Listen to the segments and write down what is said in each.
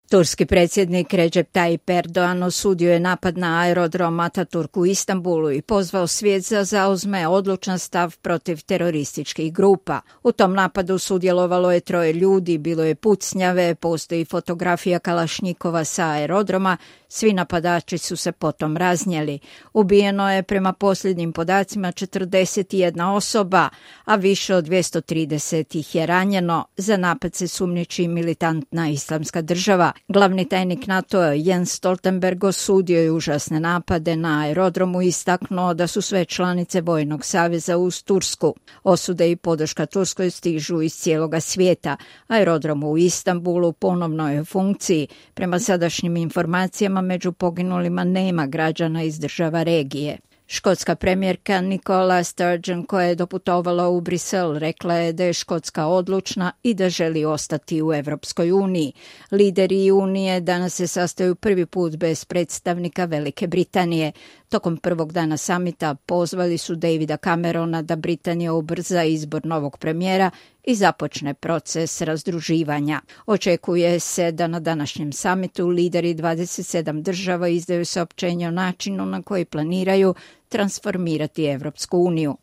Turski predsjednik Recep Tayyip Erdogan osudio je napad na aerodrom Ataturk u Istanbulu i pozvao svijet da zauzme odlučan stav protiv terorističkih grupa. U tom napadu sudjelovalo je 3 ljudi, bilo je pucnjave, postoji fotografija kalašnjikova sa aerodroma, svi napadači su se potom raznijeli. Ubijeno je prema posljednjim podacima 41 osoba, a više od 230 ih je ranjeno. Za napad se sumnjiči militantna islamska država. Glavni tajnik NATO-a Jens Stoltenberg osudio je užasne napade na aerodromu i istaknuo da su sve članice Vojnog saveza uz Tursku. Osude i podrška Turskoj stižu iz cijeloga svijeta. Aerodrom u Istanbulu ponovno je u funkciji. Prema sadašnjim informacijama među poginulima nema građana iz država regije. Škotska premijerka Nicola Sturgeon, koja je doputovala u Brisel, rekla je da je Škotska odlučna i da želi ostati u Europskoj uniji. Lideri Unije danas se sastaju prvi put bez predstavnika Velike Britanije. Tokom prvog dana samita pozvali su Davida Camerona da Britanija ubrza izbor novog premijera i započne proces razdruživanja. Očekuje se da na današnjem samitu lideri 27 država izdaju saopćenje o načinu na koji planiraju transformirati Evropsku uniju.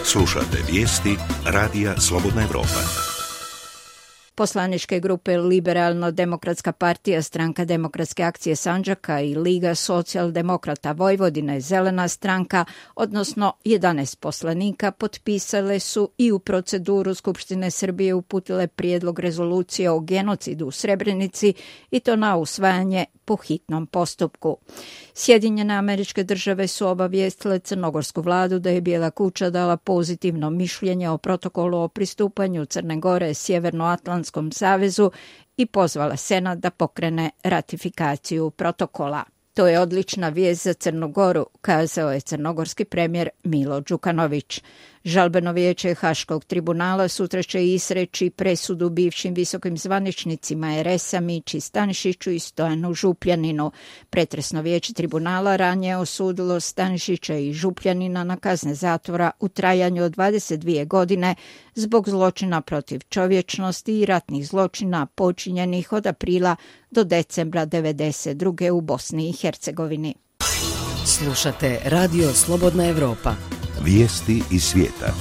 Slušate vijesti Radija Slobodna Evropa. Poslaničke grupe Liberalno-demokratska partija, Stranka demokratske akcije Sandžaka i Liga socijaldemokrata Vojvodine, Zelena stranka, odnosno 11 poslanika, potpisale su i u proceduru Skupštine Srbije uputile prijedlog rezolucije o genocidu u Srebrenici i to na usvajanje po hitnom postupku. Sjedinjene Američke Države su obavijestile crnogorsku vladu da je Bijela kuća dala pozitivno mišljenje o protokolu o pristupanju Crne Gore Sjevernoatlantskom savezu i pozvala Senat da pokrene ratifikaciju protokola. To je odlična vijest za Crnu Goru, kazao je crnogorski premijer Milo Đukanović. Žalbeno vijeće Haškog tribunala sutra će izreći presudu bivšim visokim zvaničnicima RS-a Mići Stanišiću i Stojanu Župljaninu. Pretresno vijeće tribunala ranije osudilo Stanišića i Župljanina na kazne zatvora u trajanju od 22 godine zbog zločina protiv čovječnosti i ratnih zločina počinjenih od aprila do decembra 1992. u Bosni i Hercegovini. Slušate Radio Slobodna Evropa. Vijesti iz svijeta.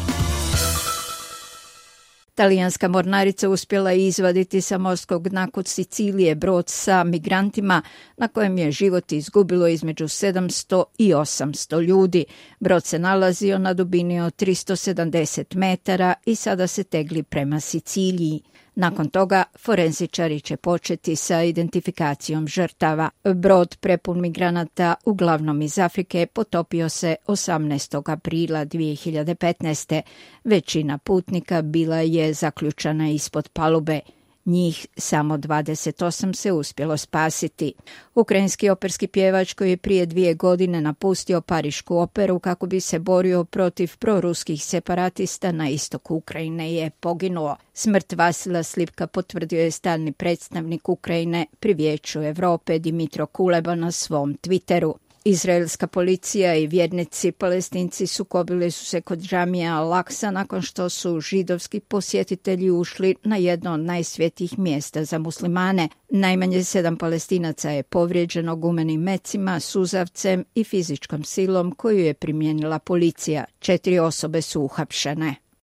Talijanska mornarica uspjela je izvaditi sa morskog dna kod Sicilije brod sa migrantima na kojem je život izgubilo između 700 i 800 ljudi. Brod se nalazio na dubini od 370 metara i sada se tegli prema Siciliji. Nakon toga forenzičari će početi sa identifikacijom žrtava. Brod prepun migranata, uglavnom iz Afrike, potopio se 18. aprila 2015. Većina putnika bila je zaključana ispod palube. Njih samo 28 se uspjelo spasiti. Ukrajinski operski pjevač koji je prije 2 godine napustio Parišku operu kako bi se borio protiv proruskih separatista na istoku Ukrajine je poginuo. Smrt Vasila Slipka potvrdio je stalni predstavnik Ukrajine pri Vijeću Europe Dimitro Kuleba na svom Twitteru. Izraelska policija i vjernici Palestinci sukobili su se kod džamija Al-Aksa nakon što su židovski posjetitelji ušli na jedno od najsvjetijih mjesta za muslimane. Najmanje 7 Palestinaca je povrijeđeno gumenim mecima, suzavcem i fizičkom silom koju je primijenila policija. 4 osobe su uhapšene.